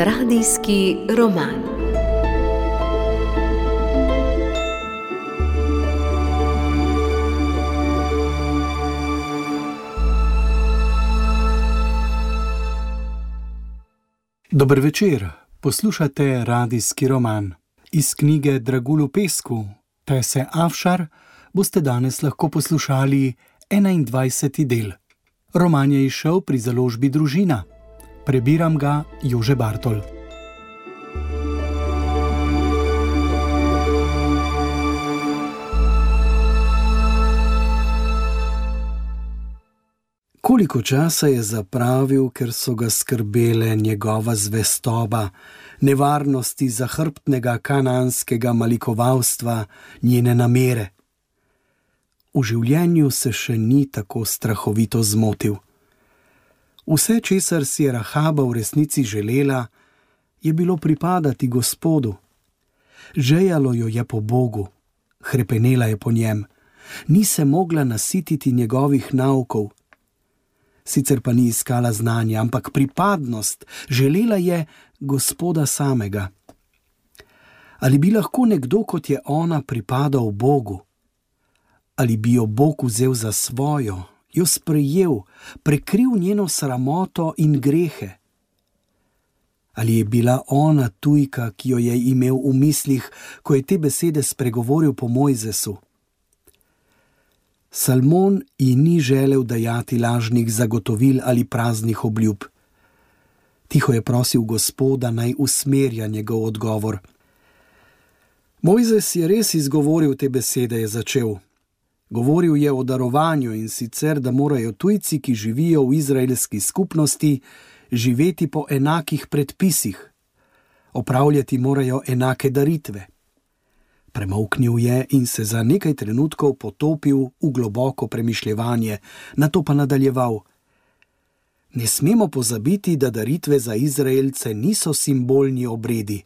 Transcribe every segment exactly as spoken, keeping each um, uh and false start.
Radijski roman. Dober večer, poslušate Radijski roman. Iz knjige Dragulj v pesku, Tese Afšar, boste danes lahko poslušali enaindvajseti del. Roman je izšel pri založbi Družina. Prebiram ga Jože Bartol. Koliko časa je zapravil, ker so ga skrbele njegova zvestoba, nevarnosti zahrbtnega kananskega malikovalstva, njene namere. V življenju se še ni tako strahovito zmotil. Vse, česar si je Rahaba v resnici želela, je bilo pripadati Gospodu. Žejalo jo je po Bogu, hrepenela je po njem, ni se mogla nasititi njegovih naukov. Sicer pa ni iskala znanja, ampak pripadnost, želela je Gospoda samega. Ali bi lahko nekdo, kot je ona, pripadal Bogu? Ali bi jo Bog vzel za svojo, jo sprejel, prekril njeno sramoto in grehe? Ali je bila ona tujka, ki jo je imel v mislih, ko je te besede spregovoril po Mojzesu? Salmon ji ni želel dajati lažnih zagotovil ali praznih obljub. Tiho je prosil Gospoda, naj usmerja njegov odgovor. Mojzes je res izgovoril te besede, je začel. Govoril je o darovanju, in sicer, da morajo tujci, ki živijo v izraelski skupnosti, živeti po enakih predpisih. Opravljati morajo enake daritve. Premolknil je in se za nekaj trenutkov potopil v globoko premišljevanje, nato pa nadaljeval. Ne smemo pozabiti, da daritve za Izraelce niso simbolni obredi,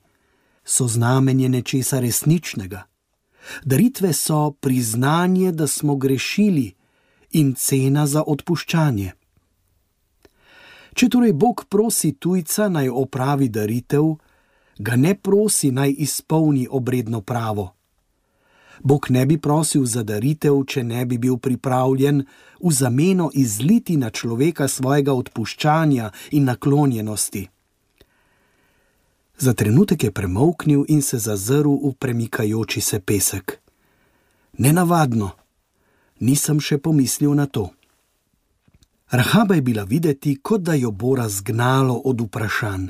so znamenje nečesa resničnega. Daritve so priznanje, da smo grešili, in cena za odpuščanje. Če torej Bog prosi tujca, naj opravi daritev, ga ne prosi, naj izpolni obredno pravo. Bog ne bi prosil za daritev, če ne bi bil pripravljen v zameno izliti na človeka svojega odpuščanja in naklonjenosti. Za trenutek je premolknil in se zazrl v premikajoči se pesek. Nenavadno, nisem še pomislil na to. Rahaba je bila videti, kot da jo bo razgnalo od vprašanj.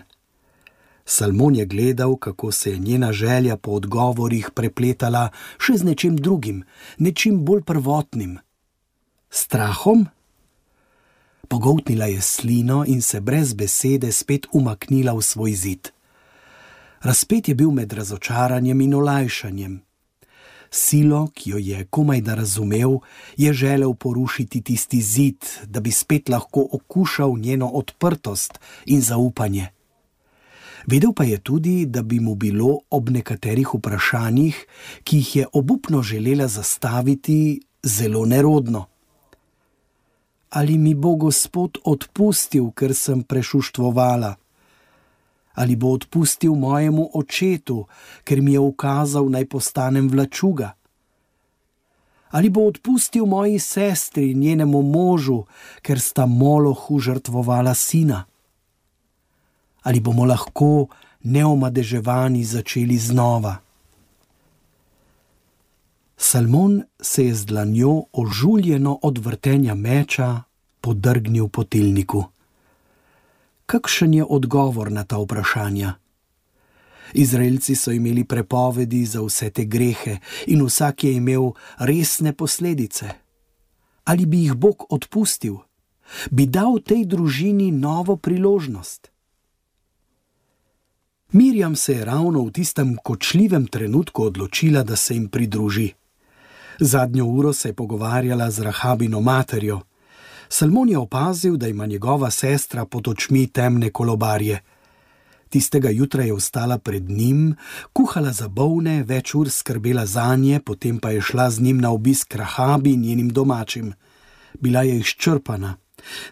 Salmon je gledal, kako se je njena želja po odgovorih prepletala še z nečim drugim, nečim bolj prvotnim. Strahom? Pogoltnila je slino in se brez besede spet umaknila v svoj zid. Razpet je bil med razočaranjem in olajšanjem. Silo, ki jo je komaj da razumel, je želel porušiti tisti zid, da bi spet lahko okušal njeno odprtost in zaupanje. Vedel pa je tudi, da bi mu bilo ob nekaterih vprašanjih, ki jih je obupno želela zastaviti, zelo nerodno. Ali mi bo Gospod odpustil, ker sem prešuštvovala? Ali bo odpustil mojemu očetu, ker mi je ukazal, naj postanem vlačuga? Ali bo odpustil moji sestri in njenemu možu, ker sta Molohu žrtvovala sina? Ali bomo lahko neomadeževani začeli znova? Salmon se je z dlanjo ožuljeno od vrtenja meča podrgnil po tilniku. Kakšen je odgovor na ta vprašanja? Izraelci so imeli prepovedi za vse te grehe in vsak je imel resne posledice. Ali bi jih Bog odpustil? Bi dal tej družini novo priložnost? Mirjam se je ravno v tistem kočljivem trenutku odločila, da se jim pridruži. Zadnjo uro se je pogovarjala z Rahabino materjo. Salmon je opazil, da ima njegova sestra pod očmi temne kolobarje. Tistega jutra je vstala pred njim, kuhala za bolne, več ur skrbela zanje, potem pa je šla z njim na obisk Rahabi in njenim domačim. Bila je izčrpana.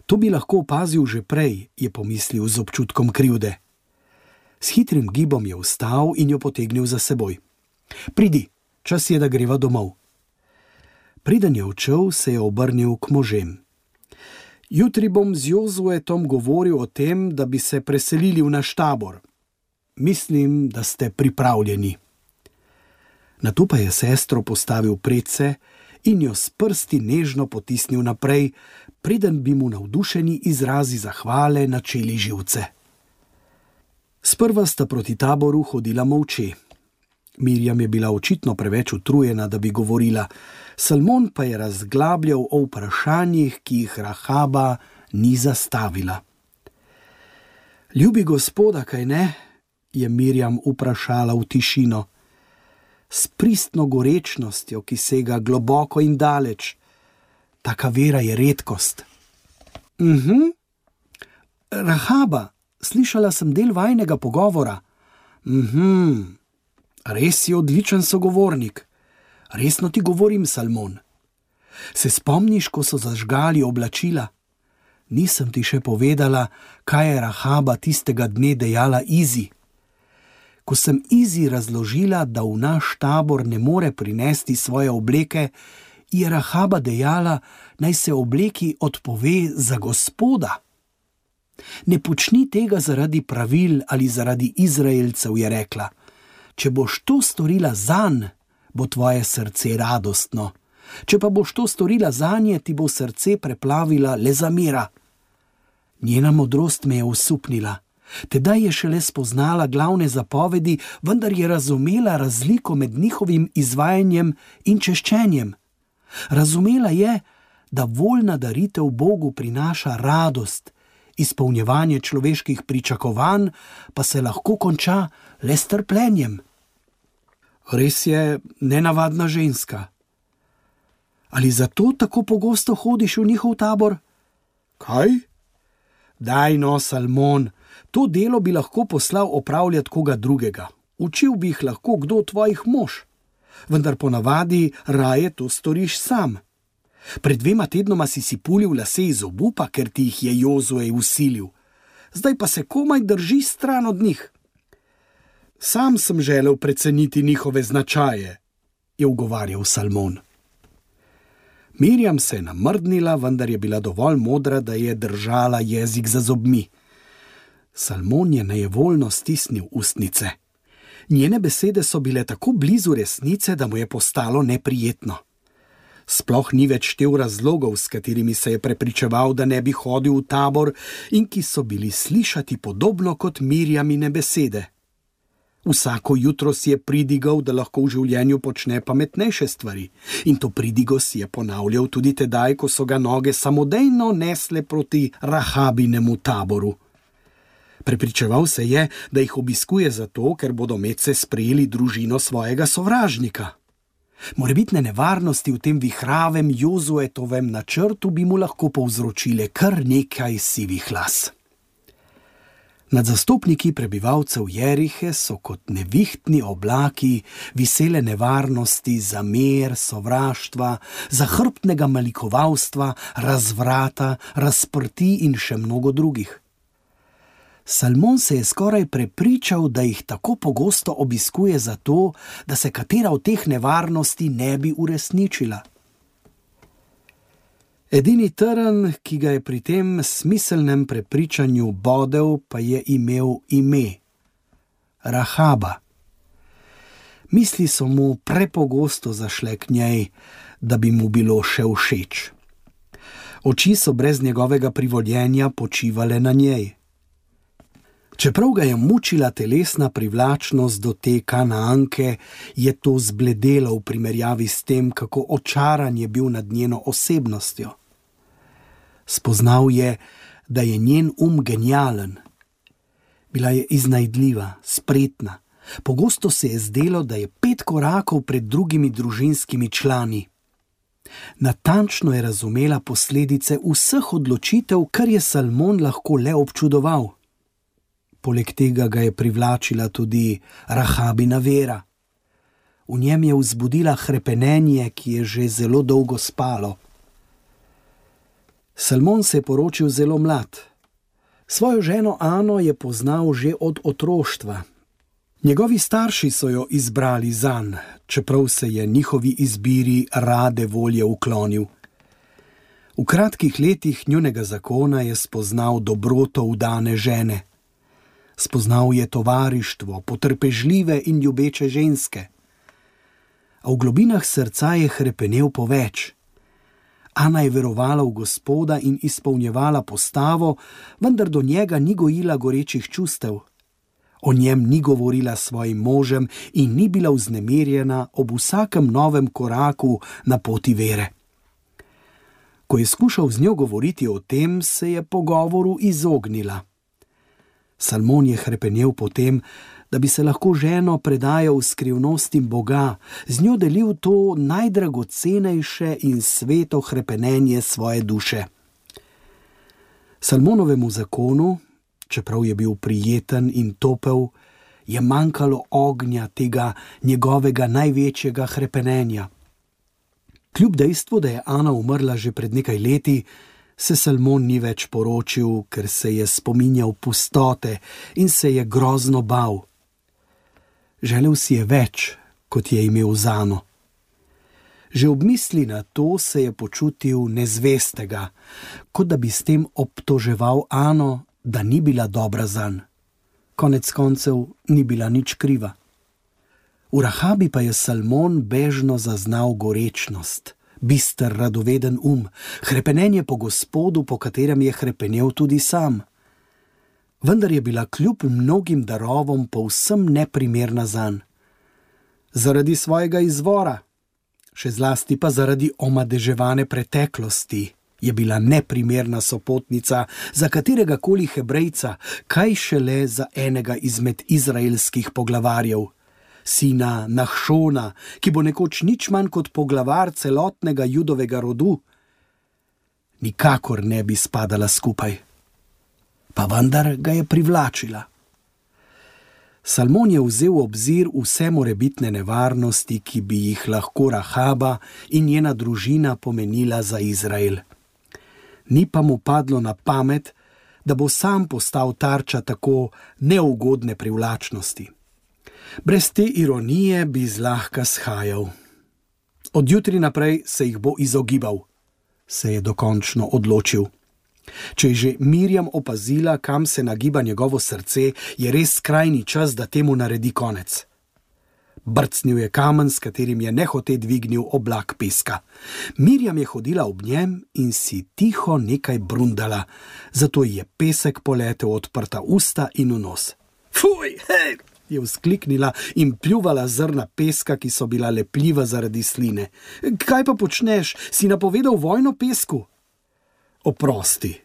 To bi lahko opazil že prej, je pomislil z občutkom krivde. S hitrim gibom je vstal in jo potegnil za seboj. Pridi, čas je, da greva domov. Preden je odšel, se je obrnil k možem. Jutri bom z Jozuetom govoril o tem, da bi se preselili v naš tabor. Mislim, da ste pripravljeni. Nato pa je sestro postavil predse in jo s prsti nežno potisnil naprej, preden bi mu navdušeni izrazi zahvale načeli živce. Sprva sta proti taboru hodila molče. Mirjam je bila očitno preveč utrujena, da bi govorila, Salmon pa je razglabljal o vprašanjih, ki jih Rahaba ni zastavila. Ljubi gospoda, kaj ne? Je Mirjam vprašala v tišino. S pristno gorečnostjo, ki sega globoko in daleč. Taka vera je redkost. Mhm. Rahaba, slišala sem del vajnega pogovora. Mhm. Res je odličen sogovornik. Resno ti govorim, Salmon. Se spomniš, ko so zažgali oblačila? Nisem ti še povedala, kaj je Rahaba tistega dne dejala Izi. Ko sem Izi razložila, da v naš tabor ne more prinesti svoje obleke, je Rahaba dejala, naj se obleki odpove za gospoda. Ne počni tega zaradi pravil ali zaradi Izraelcev, je rekla. Če boš to storila zanj, bo tvoje srce radostno. Če pa boš to storila zanje, ti bo srce preplavila le zamera. Njena modrost me je osupnila. Tedaj je šele spoznala glavne zapovedi, vendar je razumela razliko med njihovim izvajanjem in češčenjem. Razumela je, da voljna daritev Bogu prinaša radost, izpolnjevanje človeških pričakovanj pa se lahko konča le s trpljenjem. Res je nenavadna ženska. Ali zato tako pogosto hodiš v njihov tabor? Kaj? Daj no, Salmon, to delo bi lahko poslal opravljati koga drugega. Učil bi jih lahko kdo tvojih mož. Vendar ponavadi raje to storiš sam. Pred dvema tednoma si si pulil lase iz obupa, ker ti jih je Jozue usilil. Zdaj pa se komaj drži stran od njih. Sam sem želel preceniti njihove značaje, je ugovarjal Salmon. Mirjam se je namrdnila, vendar je bila dovolj modra, da je držala jezik za zobmi. Salmon je nejevoljno stisnil ustnice. Njene besede so bile tako blizu resnice, da mu je postalo neprijetno. Sploh ni več štel razlogov, s katerimi se je prepričeval, da ne bi hodil v tabor in ki so bili slišati podobno kot Mirjamine besede. Vsako jutro si je pridigal, da lahko v življenju počne pametnejše stvari, in to pridigo si je ponavljal tudi tedaj, ko so ga noge samodejno nesle proti Rahabinemu taboru. Prepričeval se je, da jih obiskuje zato, ker bodo medse sprejeli družino svojega sovražnika. Morebitne nevarnosti v tem vihravem Jozuetovem načrtu bi mu lahko povzročile kar nekaj sivih las. Nad zastopniki prebivalcev Jerihe so kot nevihtni oblaki visele nevarnosti zamer, sovraštva, zahrbtnega malikovalstva, razvrata, razprti in še mnogo drugih. Salmon se je skoraj prepričal, da jih tako pogosto obiskuje zato, da se katera od teh nevarnosti ne bi uresničila. Edini trn, ki ga je pri tem smiselnem prepričanju bodel, pa je imel ime – Rahaba. Misli so mu prepogosto zašle k njej, da bi mu bilo še všeč. Oči so brez njegovega privoljenja počivale na njej. Čeprav ga je mučila telesna privlačnost do te Kanaanke, je to zbledelo v primerjavi s tem, kako očaran je bil nad njeno osebnostjo. Spoznal je, da je njen um genialen. Bila je iznajdljiva, spretna. Pogosto se je zdelo, da je pet korakov pred drugimi družinskimi člani. Natančno je razumela posledice vseh odločitev, kar je Salmon lahko le občudoval. Poleg tega ga je privlačila tudi Rahabina vera. V njem je vzbudila hrepenenje, ki je že zelo dolgo spalo. Salmon se je poročil zelo mlad. Svojo ženo Ano je poznal že od otroštva. Njegovi starši so jo izbrali zanj, čeprav se je njihovi izbiri rade volje uklonil. V kratkih letih njunega zakona je spoznal dobroto vdane žene. Spoznal je tovarištvo, potrpežljive in ljubeče ženske. A v globinah srca je hrepenel po več. Ana je verovala v Gospoda in izpolnjevala postavo, vendar do njega ni gojila gorečih čustev. O njem ni govorila s svojim možem in ni bila vznemirjena ob vsakem novem koraku na poti vere. Ko je skušal z njo govoriti o tem, se je pogovoru izognila. Salmon je hrepenel po tem, da bi se lahko ženo predajal skrivnostim Boga, z njo delil to najdragocenejše in sveto hrepenenje svoje duše. Salmonovemu zakonu, čeprav je bil prijeten in topel, je manjkalo ognja tega njegovega največjega hrepenenja. Kljub dejstvu, da je Ana umrla že pred nekaj leti, se Salmon ni več poročil, ker se je spominjal pustote in se je grozno bal. Želel si je več, kot je imel z Ano. Že ob misli na to se je počutil nezvestega, kot da bi s tem obtoževal Ano, da ni bila dobra zanj. Konec koncev ni bila nič kriva. V Rahabi pa je Salmon bežno zaznal gorečnost, bister radoveden um, hrepenenje po Gospodu, po katerem je hrepenel tudi sam. Vendar je bila kljub mnogim darovom povsem neprimerna zanj. Zaradi svojega izvora, še zlasti pa zaradi omadeževane preteklosti, je bila neprimerna sopotnica za kateregakoli Hebrejca, kaj šele za enega izmed izraelskih poglavarjev, sina Nahšona, ki bo nekoč nič manj kot poglavar celotnega judovega rodu. Nikakor ne bi spadala skupaj. Pa vendar ga je privlačila. Salmon je vzel v obzir vse morebitne nevarnosti, ki bi jih lahko Rahaba in njena družina pomenila za Izrael. Ni pa mu padlo na pamet, da bo sam postal tarča tako neugodne privlačnosti. Brez te ironije bi zlahka shajal. Od jutri naprej se jih bo izogibal, se je dokončno odločil. Če je že Mirjam opazila, kam se nagiba njegovo srce, je res skrajni čas, da temu naredi konec. Brcnil je kamen, s katerim je nehote dvignil oblak peska. Mirjam je hodila ob njem in si tiho nekaj brundala, zato ji je pesek poletel odprta usta in v nos. Fuj, hej! Je vzkliknila in pljuvala zrna peska, ki so bila lepljiva zaradi sline. Kaj pa počneš? Si napovedal vojno pesku? Oprosti.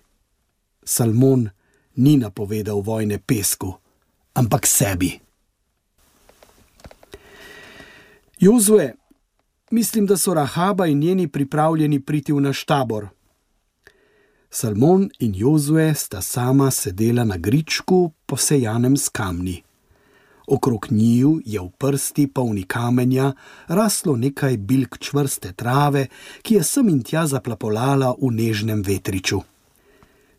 Salmon ni napovedal vojne pesku, ampak sebi. Jozue, mislim, da so Rahaba in njeni pripravljeni priti v naš tabor. Salmon in Jozue sta sama sedela na gričku, posejanem s kamni. Okrog njiju je v prsti polni kamenja raslo nekaj bilk čvrste trave, ki je sem in tja zaplapolala v nežnem vetriču.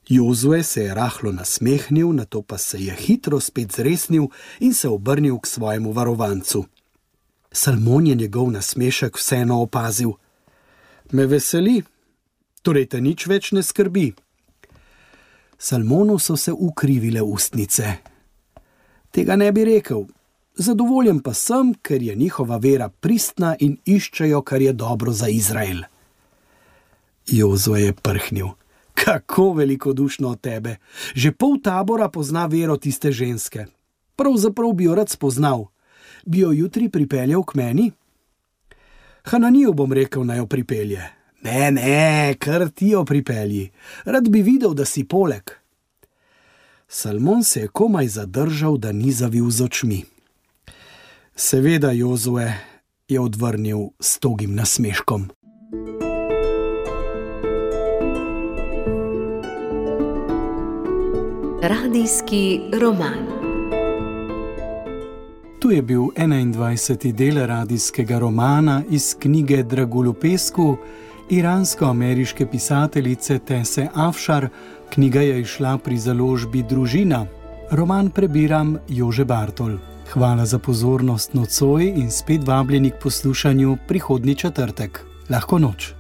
Jozue se je rahlo nasmehnil, nato pa se je hitro spet zresnil in se obrnil k svojemu varovancu. Salmon je njegov nasmešek vseeno opazil. Me veseli, torej te nič več ne skrbi. Salmonu so se ukrivile ustnice. Tega ne bi rekel. Zadovoljen pa sem, ker je njihova vera pristna in iščejo, kar je dobro za Izrael. Jozue je prhnil. Kako velikodušno od tebe. Že pol tabora pozna vero tiste ženske. Pravzaprav bi jo rad spoznal. Bi jo jutri pripeljal k meni? Hananiju bom rekel, naj jo pripelje. Ne, ne, kar ti jo pripelji. Rad bi videl, da si poleg. Salmon se je komaj zadržal, da ni zavil z očmi. Seveda, Jozue, je odvrnil s togim nasmeškom. Radijski roman. Tu je bil enaindvajseti del radijskega romana iz knjige Dragulj v pesku iransko-ameriške pisateljice Tese Afšar, knjiga je izšla pri založbi Družina. Roman prebiram Jože Bartol. Hvala za pozornost nocoj in spet vabljeni k poslušanju prihodnji četrtek. Lahko noč.